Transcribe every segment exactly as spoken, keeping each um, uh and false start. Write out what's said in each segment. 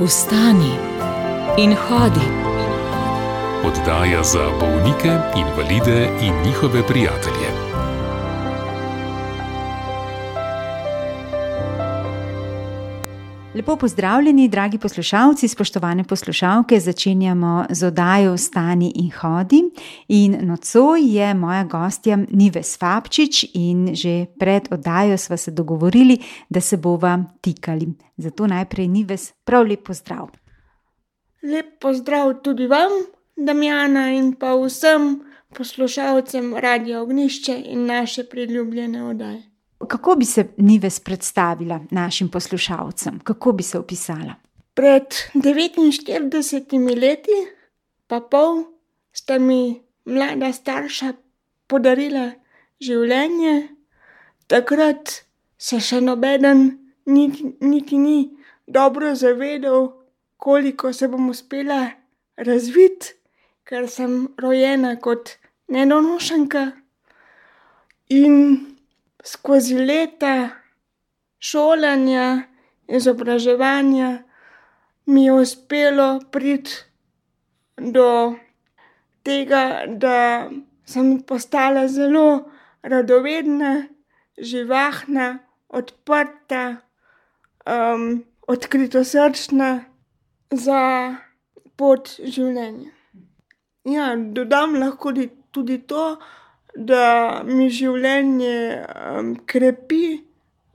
Vstani in hodi. Oddaja za bolnike, invalide in njihove prijatelje. Lepo pozdravljeni, dragi poslušalci, spoštovane poslušalke. Začenjamo z oddajo Vstani in hodi. In nocoj je moja gostja Nives Fabčič in že pred oddajo sva se dogovorili, da se bova tikali. Zato najprej, Nives, prav lep pozdrav. Lep pozdrav tudi vam, Damjana, in pa vsem poslušalcem Radia Ognjišče in naše priljubljene oddaje. Kako bi se Nives predstavila našim poslušalcem? Kako bi se opisala? Pred devetinštiridesetimi leti pa pol sta mi mlada starša podarila življenje. Takrat se še nobeden niti, niti ni dobro zavedal, koliko se bom uspela razviti, ker sem rojena kot nedonošenka. In skozi leta šolanja, izobraževanja mi je uspelo priti do tega, da sem postala zelo radovedna, živahna, odprta, um, odkritosrčna za pot življenja. Ja, dodam lahko tudi to, da mi življenje um, krepi,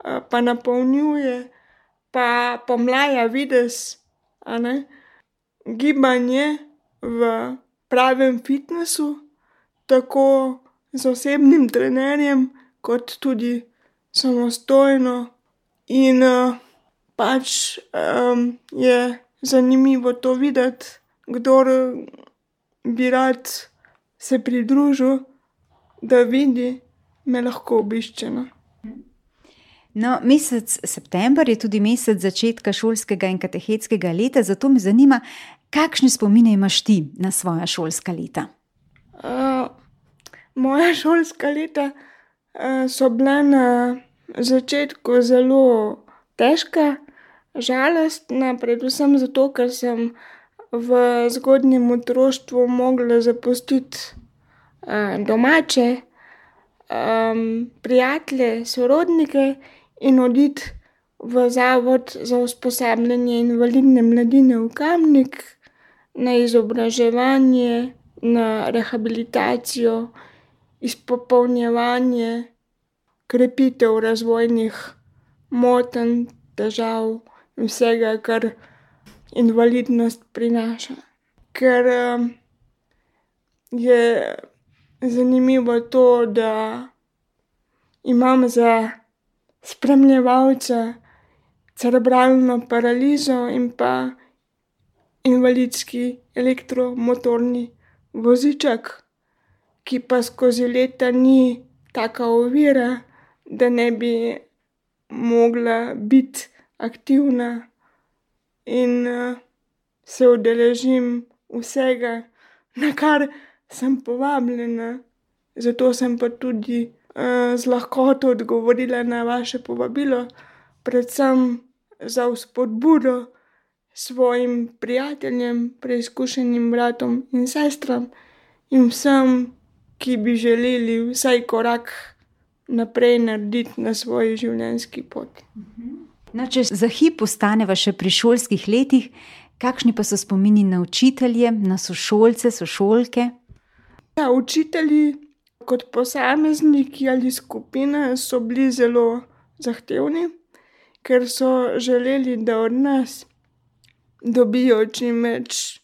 uh, pa napolnjuje, pa pomlaja videz, a ne. Gibanje v pravem fitnesu, tako z osebnim trenerjem, kot tudi samostojno. In uh, pač um, je zanimivo to videti, kdor bi rad se pridružil, da vidi, me lahko obišče. No, mesec september je tudi mesec začetka šolskega in katehetskega leta, zato me zanima, kakšne spomine imaš ti na svoja šolska leta? Uh, moja šolska leta uh, so bila na začetku zelo težka, žalostna, predvsem zato, ker sem v zgodnjem otroštvu mogla zapustiti domače, um, prijatelje, sorodnike in oditi v zavod za usposabljanje invalidne mladine v Kamnik na izobraževanje, na rehabilitacijo, izpopolnjevanje, krepitev razvojnih motenj, težav in vsega, kar invalidnost prinaša. Ker um, je zanimivo to, da imam za spremljevalca cerebralno paralizo in pa invalidski elektromotorni voziček, ki pa skozi leta ni taka ovira, da ne bi mogla biti aktivna in uh, se udeležim vsega, na kar sem povabljena. Zato sem pa tudi uh, z lahkoto odgovorila na vaše povabilo, predvsem za vzpodbudo svojim prijateljem, preizkušenim bratom in sestram in vsem, ki bi želeli vsaj korak naprej narediti na svoji življenjski poti. No, če za hip ostaneva še pri šolskih letih, kakšni pa so spomini na učitelje, na sošolce, sošolke? Ja, učitelji kot posamezniki ali skupina so bili zelo zahtevni, ker so želeli, da od nas dobijo čim več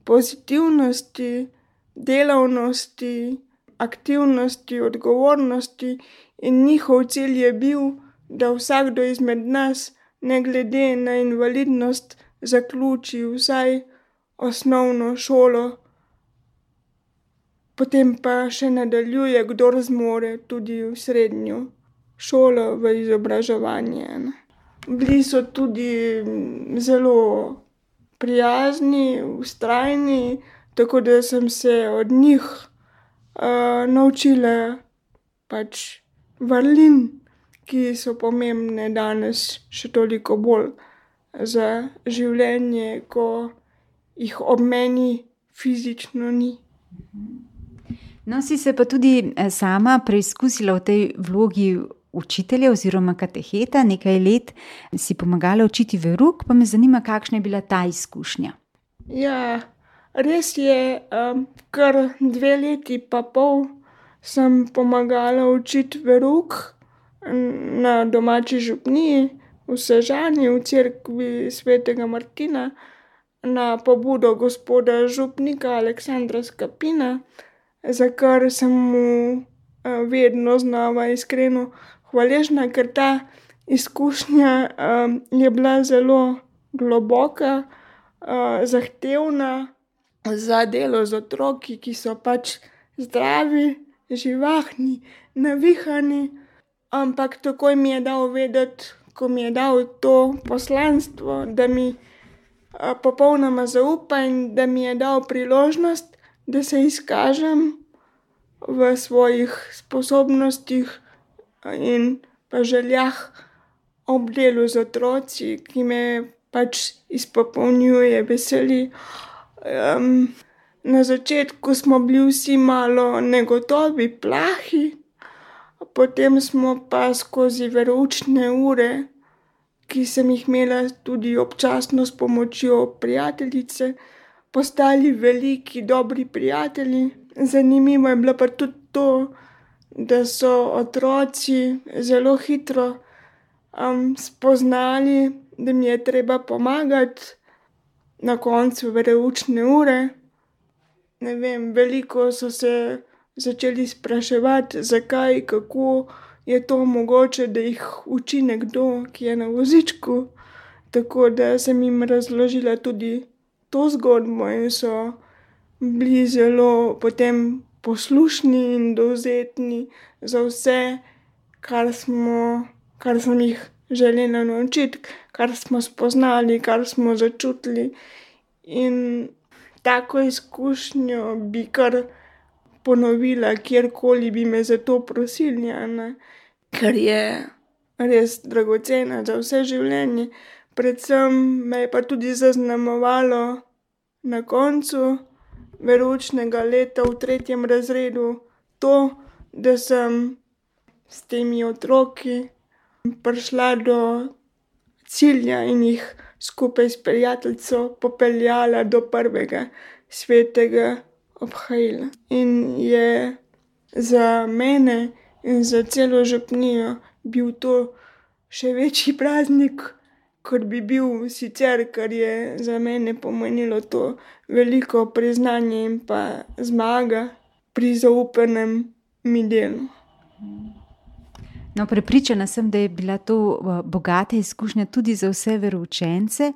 pozitivnosti, delavnosti, aktivnosti, odgovornosti in njihov cilj je bil, da vsakdo izmed nas, ne glede na invalidnost, zaključi vsaj osnovno šolo, potem pa še nadaljuje, kdor zmore, tudi v srednjo šolo, v izobraževanje. Bili so tudi zelo prijazni, vztrajni, tako da sem se od njih uh, naučila pač vrlin, ki so pomembne danes še toliko bolj za življenje, ko jih ob meni fizično ni. No, si se pa tudi sama preizkusila v tej vlogi učitelja oziroma kateheta, nekaj let si pomagala učiti verouk, pa me zanima, kakšna je bila ta izkušnja. Ja, res je, um, kar dve leti pa pol sem pomagala učiti verouk na domači župniji v Sežani, v cerkvi svetega Martina, na pobudo gospoda župnika Aleksandra Skapina, za kar sem mu vedno znova iskreno hvaležna, ker ta izkušnja um, je bila zelo globoka, uh, zahtevna za delo z otroki, ki so pač zdravi, živahni, navihani, ampak takoj mi je dal vedeti, ko mi je dal to poslanstvo, da mi uh, popolnoma zaupa in da mi je dal priložnost, da se izkažem v svojih sposobnostih in pa željah ob delu z otroci, ki me pač izpopolnjuje, veseli. Um, na začetku smo bili vsi malo negotovi, plahi, potem smo pa skozi veroučne ure, ki sem jih imela tudi občasno s pomočjo prijateljice, postali veliki, dobri prijatelji. Zanimivo je bilo pa tudi to, da so otroci zelo hitro um, spoznali, da mi je treba pomagati na koncu veroučne ure. Ne vem, veliko so se začeli spraševati, zakaj, kako je to mogoče, da jih uči nekdo, ki je na vozičku. Tako da sem jim razložila tudi to zgodbo in so bili zelo potem poslušni in dovzetni za vse, kar smo, kar sem jih želela naučiti, kar smo spoznali, kar smo začutili. In tako izkušnjo bi kar ponovila, kjerkoli bi me za to prosili, ne? Ker je res dragocena za vse življenje. Predvsem me je pa tudi zaznamovalo na koncu veroučnega leta v tretjem razredu to, da sem s temi otroki prišla do cilja in jih skupaj s prijateljico popeljala do prvega svetega obhajila. In je za mene in za celo župnijo bil to še večji praznik, kot bi bil sicer, ker je za mene pomenilo to veliko priznanje in pa zmaga pri zaupanem mi delu. No, prepričana sem, da je bila to bogata izkušnja tudi za vse veroučence,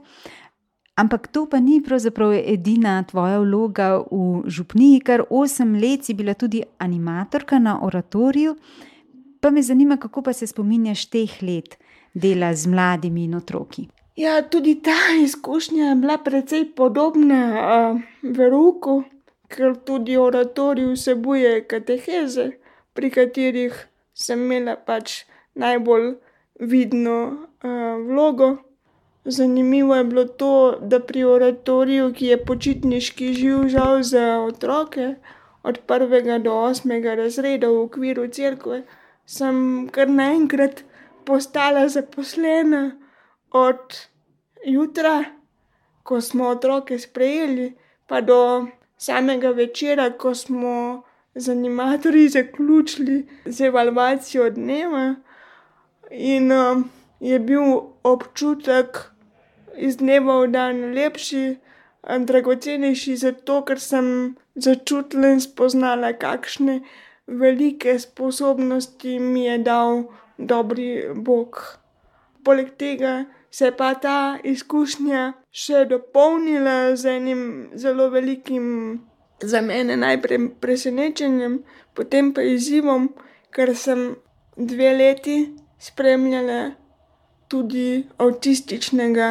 ampak to pa ni pravzaprav edina tvoja vloga v župniji, kar osem let si bila tudi animatorka na oratoriju, pa me zanima, kako pa se spominjaš teh let dela z mladimi in otroki. Ja, tudi ta izkušnja je bila precej podobna uh, verouku, ker tudi oratorij vsebuje kateheze, pri katerih sem imela pač najbolj vidno uh, vlogo. Zanimivo je bilo to, da pri oratoriju, ki je počitniški živ žal za otroke, od prvega do osmega razreda v okviru cerkve, sem kar naenkrat postala zaposlena od jutra, ko smo otroke sprejeli, pa do samega večera, ko smo z animatorji zaključili z evalvacijo dneva. In um, je bil občutek iz dneva v dan lepši, dragocenejši, zato ker sem začutila in spoznala, kakšne velike sposobnosti mi je dal dobri Bog. Poleg tega se je pa ta izkušnja še dopolnila z enim zelo velikim, za mene najprej presenečenjem, potem pa izzivom, ker sem dve leti spremljala tudi avtističnega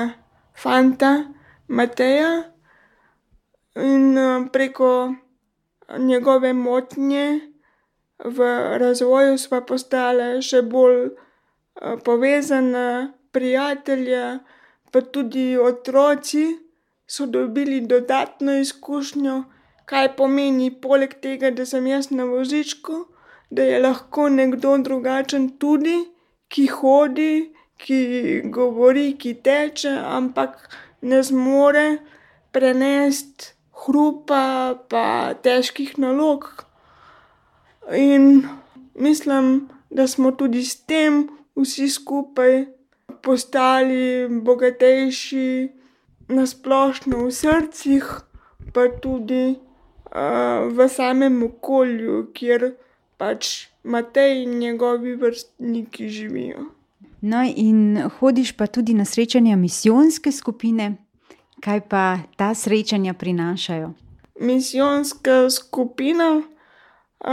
fanta Mateja in preko njegove motnje v razvoju sva postala še bolj povezana, prijatelja, pa tudi otroci so dobili dodatno izkušnjo, kaj pomeni poleg tega, da sem jaz na vozičku, da je lahko nekdo drugačen tudi, ki hodi, ki govori, ki teče, ampak ne zmore prenesti hrupa pa težkih nalog. In mislim, da smo tudi s tem vsi skupaj postali bogatejši na splošno v srcih, pa tudi uh, v samem okolju, kjer pač Matej in njegovi vrstniki živijo. No, in hodiš pa tudi na srečanja misijonske skupine. Kaj pa ta srečanja prinašajo? Misijonska skupina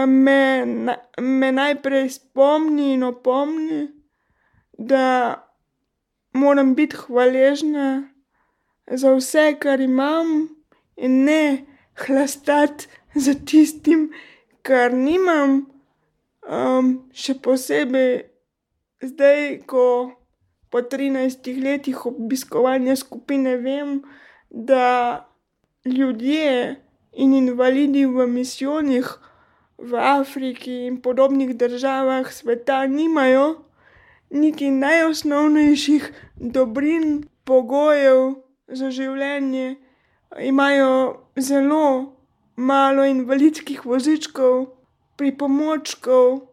me, me najprej spomni in opomni, da moram biti hvaležna za vse, kar imam, in ne hlastati za tistim, kar nimam. Um, še posebej zdaj, ko po trinajstih letih obiskovanja skupine vem, da ljudje in invalidi v misijonih v Afriki in podobnih državah sveta nimajo niti najosnovnejših dobrin, pogojev za življenje. Imajo zelo malo invalidskih vozičkov, pripomočkov,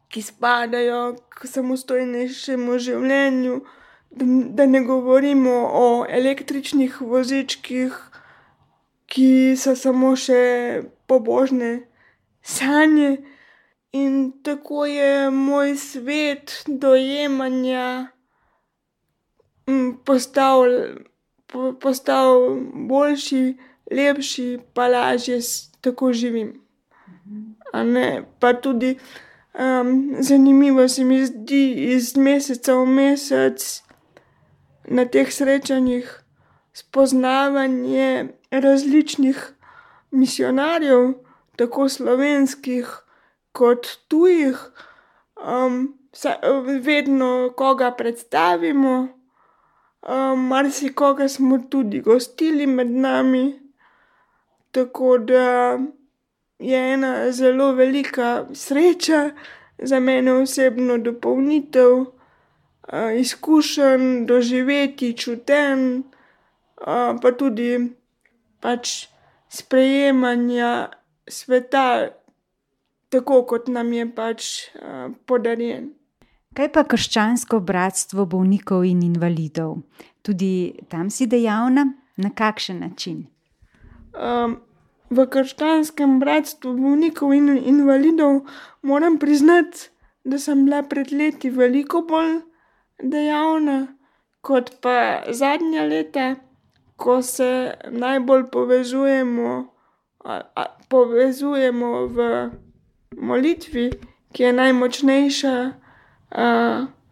ki spadajo k samostojnejšemu življenju, da ne govorimo o električnih vozičkih, ki so samo še pobožne sanje. In tako je moj svet dojemanja postal, postal boljši, lepši, pa lažje tako živim. A ne, pa tudi um, zanimivo se mi zdi iz meseca v mesec na teh srečanjih spoznavanje različnih misijonarjev, tako slovenskih kot tujih. Um, vedno koga predstavimo, um, marsikoga smo tudi gostili med nami, tako da je ena zelo velika sreča za mene osebno dopolnitev uh, izkušenj, doživetij, čutenj, uh, pa tudi pač sprejemanja sveta tako, kot nam je pač uh, podarjen. Kaj pa krščansko bratstvo bolnikov in invalidov? Tudi tam si dejavna? Na kakšen način? Um, V krščanskem bratstvu bolnikov in invalidov moram priznati, da sem bila pred leti veliko bolj dejavna kot pa zadnja leta, ko se najbolj povezujemo, a, a, povezujemo v molitvi, ki je najmočnejša a,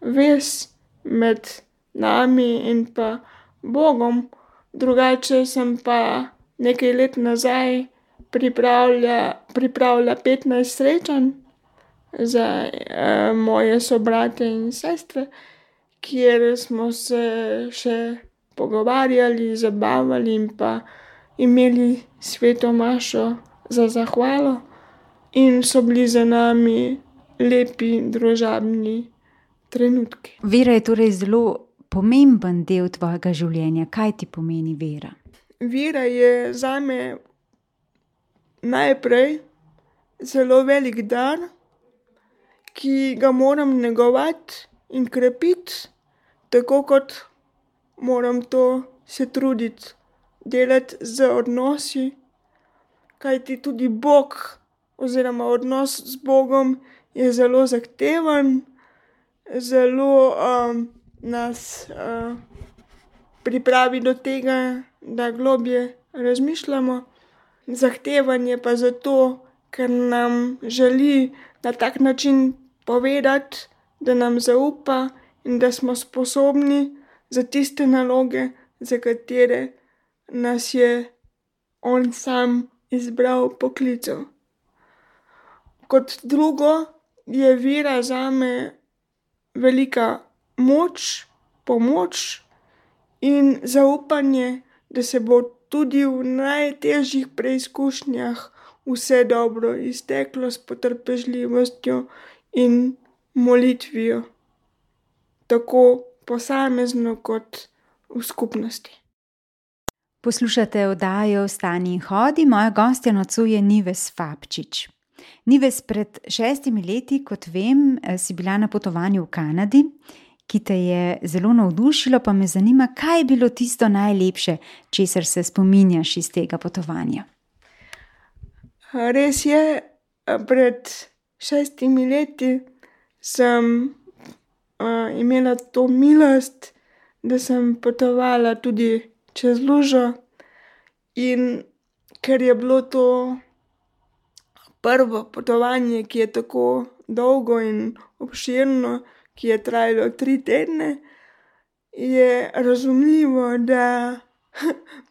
vez med nami in pa Bogom. Drugače sem pa nekaj let nazaj pripravlja, pripravlja petnajst srečanj za uh, moje sobrate in sestre, kjer smo se še pogovarjali, zabavali in pa imeli sveto mašo za zahvalo in so bili za nami lepi družabni trenutki. Vera je torej zelo pomemben del tvojega življenja. Kaj ti pomeni vera? Vera je zame najprej zelo velik dar, ki ga moram negovati in krepiti, tako kot moram to se truditi delati z odnosi, kajti tudi Bog oziroma odnos z Bogom je zelo zahteven, zelo um, nas uh, pripravi do tega, da globje razmišljamo. Zahtevan je pa zato, ker nam želi na tak način povedati, da nam zaupa in da smo sposobni za tiste naloge, za katere nas je on sam izbral, poklical. Kot drugo je vera zame velika moč, pomoč in zaupanje, da se bo tudi v najtežjih preizkušnjah vse dobro izteklo s potrpežljivostjo in molitvijo, tako posamezno kot v skupnosti. Poslušate oddajo Vstani in hodi, moja gostja nocoj je Nives Fabčič. Nives, pred šestimi leti, kot vem, si bila na potovanju v Kanadi, ki te je zelo navdušilo, pa me zanima, kaj je bilo tisto najlepše, česar se spominjaš iz tega potovanja. Res je, pred šestimi leti sem uh, imela to milost, da sem potovala tudi čez lužo, in ker je bilo to prvo potovanje, ki je tako dolgo in obširno, ki je trajalo tri tedne, je razumljivo, da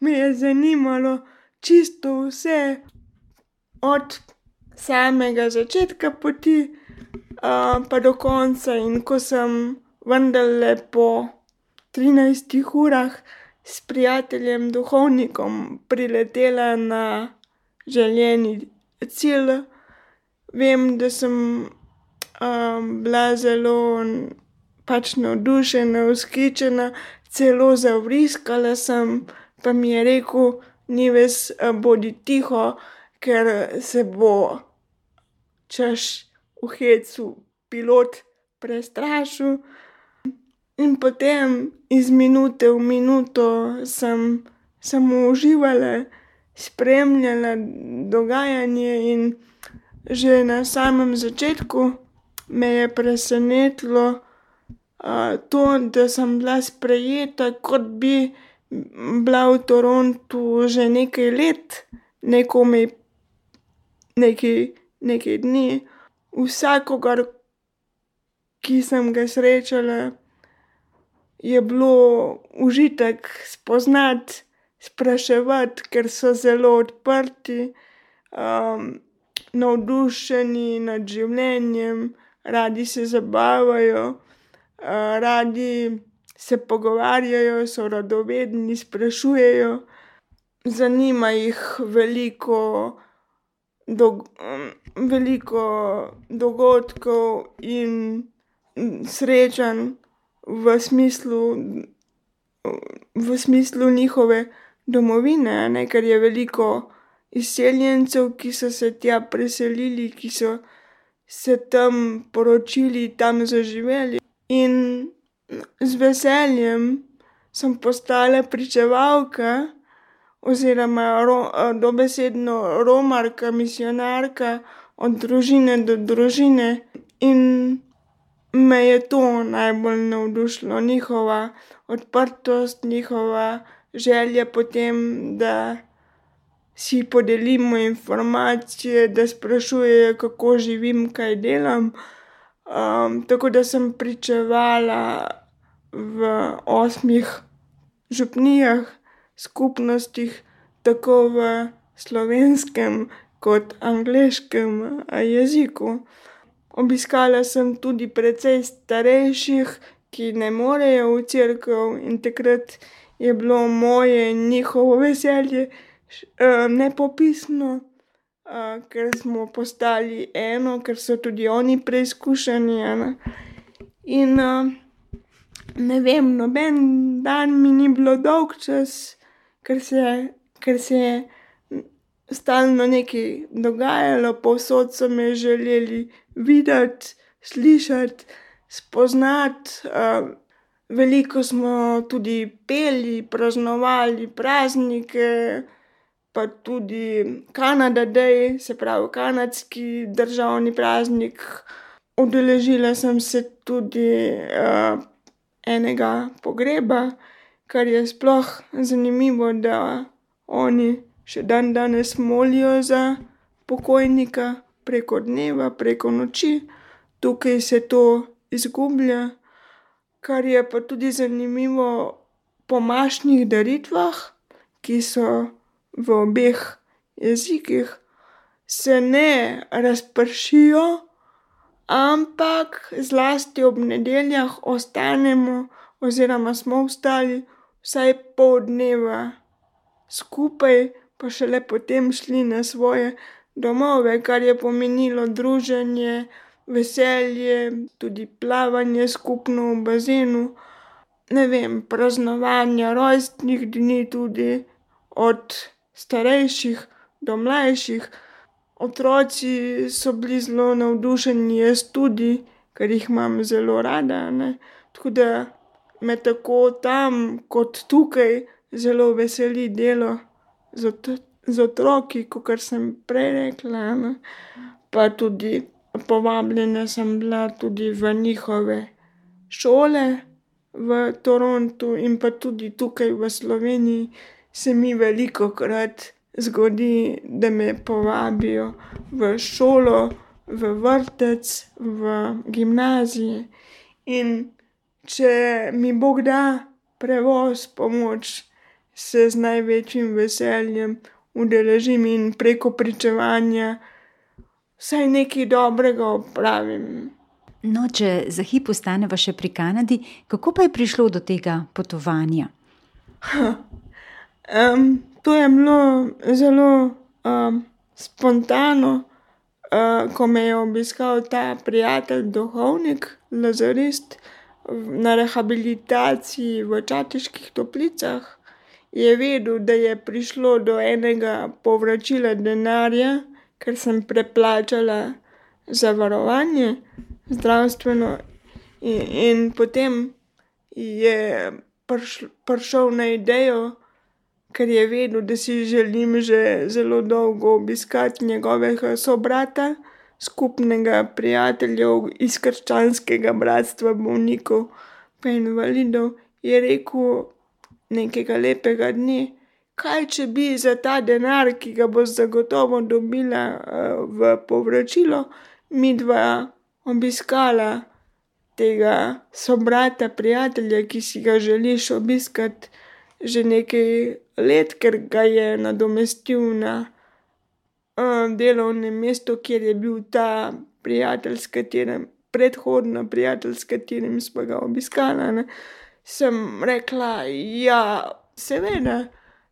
me je zanimalo čisto vse, od samega začetka poti uh, pa do konca. In ko sem vendarle po trinajstih urah s prijateljem duhovnikom priletela na želeni cilj, vem, da sem um, bila zelo pač navdušena, vzhičena, celo zavriskala sem, pa mi je rekel: Nives, bodi tiho, ker se bo, češ, v hecu pilot prestrašil. In potem iz minute v minuto sem samo uživala, spremljala dogajanje, in že na samem začetku me je presenetilo uh, to, da sem bila sprejeta, kot bi bila v Torontu že nekaj let, ne komaj nekaj, nekaj dni. Vsakogar, ki sem ga srečala, je bilo užitek spoznati, spraševati, ker so zelo odprti, um, navdušeni nad življenjem, radi se zabavajo, uh, radi se pogovarjajo, so radovedni, sprašujejo, zanima jih veliko, dog- veliko dogodkov in srečanj v smislu, v smislu njihove domovine, ne, ker je veliko izseljencev, ki so se tja preselili, ki so se tam poročili, tam zaživeli. In z veseljem sem postala pričevalka oziroma ro, dobesedno romarka, misijonarka od družine do družine, in me je to najbolj navdušilo, njihova odprtost, njihova želja po tem, da si podelimo informacije, da sprašujejo, kako živim, kaj delam. Um, tako da sem pričevala v osmih župnijah, skupnostih, tako v slovenskem kot angleškem jeziku. Obiskala sem tudi precej starejših, ki ne morejo v cerkev, in takrat je bilo moje in njihovo veselje nepopisno, ker smo postali eno, ker so tudi oni preizkušeni. In ne vem, noben dan mi ni bilo dolgčas, ker se, ker se je stalno nekaj dogajalo, povsod so me želeli videti, slišati, spoznati. Veliko smo tudi peli, praznovali praznike, pa tudi Canada Day, se pravi kanadski državni praznik. Udeležila sem se tudi uh, enega pogreba, kar je sploh zanimivo, da oni še dan danes molijo za pokojnika preko dneva, preko noči. Tukaj se to izgublja. Kar je pa tudi zanimivo, po mašnih daritvah, ki so v obeh jezikih, se ne razpršijo, ampak zlasti ob nedeljah ostanemo oziroma smo ostali vsaj pol dneva skupaj, pa šele potem šli na svoje domove, kar je pomenilo druženje, veselje, tudi plavanje skupno v bazenu. Ne vem, praznovanja rojstnih dni tudi, od starejših do mlajših. Otroci so bili zelo navdušeni, jaz tudi, ker jih imam zelo rada, ne. Tako da me tako tam kot tukaj zelo veseli delo z z otroki, kakor sem prej rekla, ne. Pa tudi povabljena sem bila tudi v njihove šole v Torontu in pa tudi tukaj v Sloveniji se mi velikokrat zgodi, da me povabijo v šolo, v vrtec, v gimnazije. In če mi Bog da prevoz, pomoč, se z največjim veseljem udeležim in preko pričevanja vsaj nekaj dobrega opravim. No, če za hip ostaneva še pri Kanadi, kako pa je prišlo do tega potovanja? Um, to je bilo zelo um, spontano, uh, ko me je obiskal ta prijatelj, duhovnik, lazarist, na rehabilitaciji v Čateških Toplicah. Je vedel, da je prišlo do enega povračila denarja, ker sem preplačala zavarovanje zdravstveno, in, in potem je prišl, prišel na idejo, ker je vedel, da si želim že zelo dolgo obiskati njegovega sobrata, skupnega prijatelja iz krščanskega bratstva bolnikov pa invalidov, je rekel nekega lepega dne: kaj če bi za ta denar, ki ga boš zagotovo dobila uh, v povračilo, midva obiskala tega sobrata, prijatelja, ki si ga želiš obiskati že nekaj let, ker ga je nadomestil na uh, delovnem mestu, kjer je bil ta prijatelj, s katerim, predhodno prijatelj, s katerim sva ga obiskala, ne. Sem rekla: ja, seveda,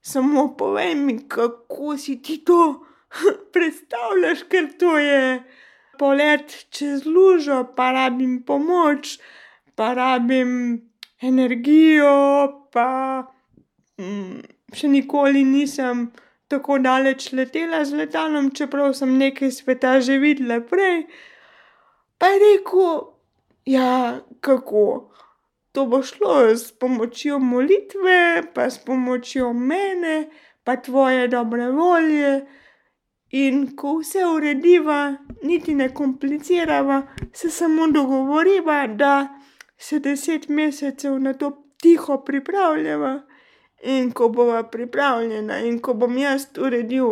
samo povej mi, kako si ti to predstavljaš, ker to je polet čez lužo, pa rabim pomoč, pa rabim energijo, pa mm, še nikoli nisem tako daleč letela z letalom, čeprav sem nekaj sveta že videla prej. Pa je rekel: ja, kako? To bo šlo s pomočjo molitve, pa s pomočjo mene, pa tvoje dobre volje. In ko vse urediva, niti ne komplicirava, se samo dogovoriva, da se deset mesecev na to tiho pripravljava. In ko bova pripravljena in ko bom jaz uredil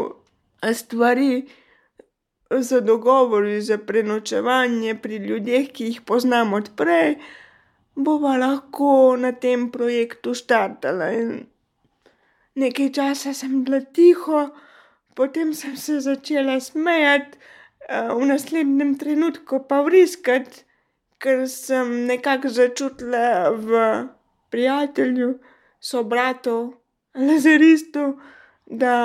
stvari z dogovori, za prenočevanje pri ljudeh, ki jih poznam od prej, bova lahko na tem projektu štartala. In nekaj časa sem bila tiho, potem sem se začela smejati, v naslednjem trenutku pa vriskati, ker sem nekako začutila v prijatelju, sobratu, lazaristu, da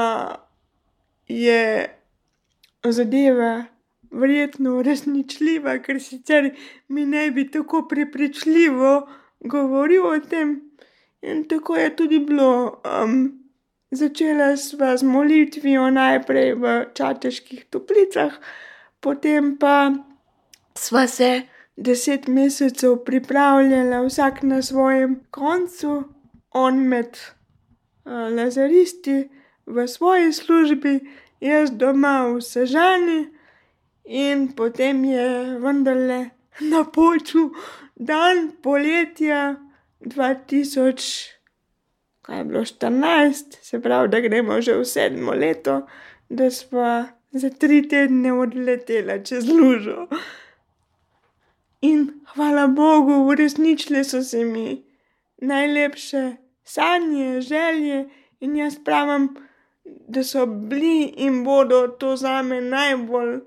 je zadeva verjetno uresničljiva, ker sicer mi ne bi tako prepričljivo govoril o tem. In tako je tudi bilo. Um, začela sva z molitvijo najprej v Čateških Toplicah, potem pa sva se deset mesecev pripravljala vsak na svojem koncu, on med uh, lazaristi v svoji službi, jaz doma v Sežani. In potem je vendarle napočil dan poletja dva tisoč, kaj je bilo, štirinajst, se pravi, da gremo že v sedmo leto, da sva za tri tedne odletela čez lužo. In hvala Bogu, uresničile so se mi najlepše sanje, želje, in jaz pravim, da so bili in bodo to zame najbolj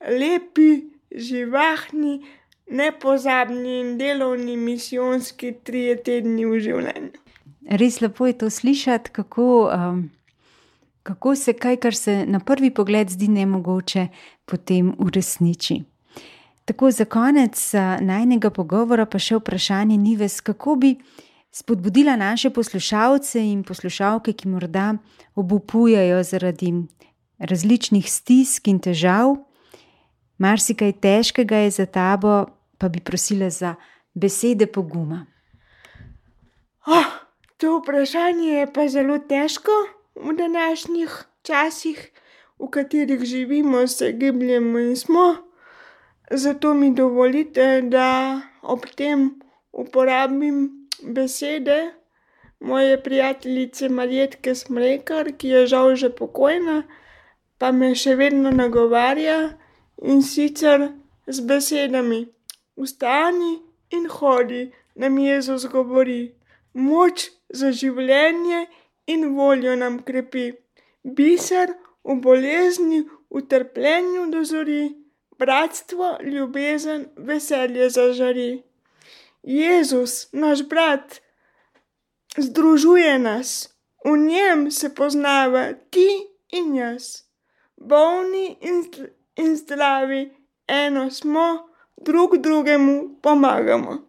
lepi, živahni, nepozabni in delovni misijonski trije tedni v življenju. res lepo je to slišati, kako, um, kako se kaj, kar se na prvi pogled zdi nemogoče, potem uresniči. Tako za konec najnega pogovora pa še vprašanje, Nives, kako bi spodbudila naše poslušalce in poslušalke, ki morda obupujejo zaradi različnih stisk in težav. Marsikaj težkega je za tabo, pa bi prosila za besede poguma. Oh, to vprašanje je pa zelo težko v današnjih časih, v katerih živimo, se gibljemo in smo. Zato mi dovolite, da ob tem uporabim besede moje prijateljice Marjetke Smrekar, ki je žal že pokojna, pa me še vedno nagovarja, in sicer z besedami: vstani in hodi, nam Jezus govori, moč za življenje in voljo nam krepi, biser v bolezni, v trpljenju dozori, bratstvo, ljubezen, veselje zažari. Jezus, naš brat, združuje nas, v njem se poznava ti in jaz. Bolni in, in zdravi, eno smo, drug drugemu pomagamo.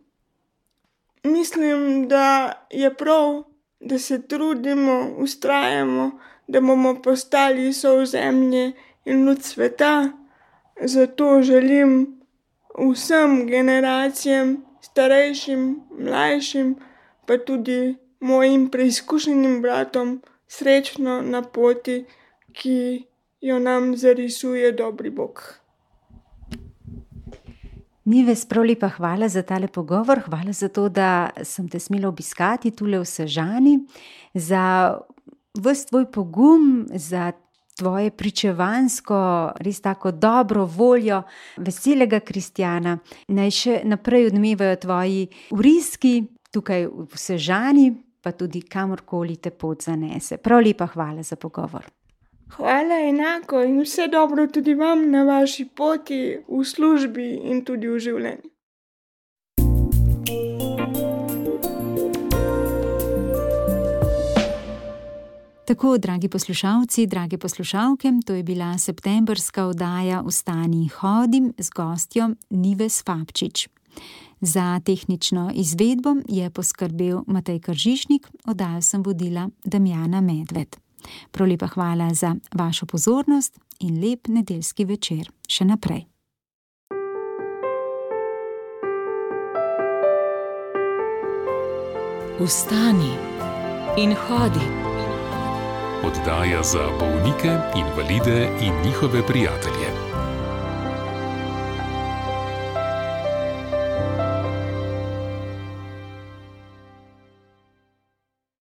Mislim, da je prav, da se trudimo, vztrajamo, da bomo postali sol zemlje in luč sveta. Zato želim vsem generacijam, starejšim, mlajšim, pa tudi mojim preizkušenim bratom srečno na poti, ki jo nam zarisuje dobri Bog. Nives, prav lepa hvala za tale pogovor, hvala za to, da sem te smela obiskati tule v Sežani, za ves tvoj pogum, za tvoje pričevansko, res tako dobro voljo, veselega kristjana. Naj še naprej odmevajo tvoji vriski tukaj v Sežani, pa tudi kamorkoli te pot zanese. Prav lepa hvala za pogovor. Hvala enako in vse dobro tudi vam na vaši poti, v službi in tudi v življenju. Tako, dragi poslušalci, drage poslušalke, to je bila septembrska oddaja Vstani in hodi z gostjo Nives Fabčič. Za tehnično izvedbo je poskrbel Matej Kržišnik, oddajo sem vodila Damjana Medved. Prav lepa hvala za vašo pozornost in lep nedeljski večer še naprej. Vstani in hodi. Oddaja za bolnike, invalide in njihove prijatelje.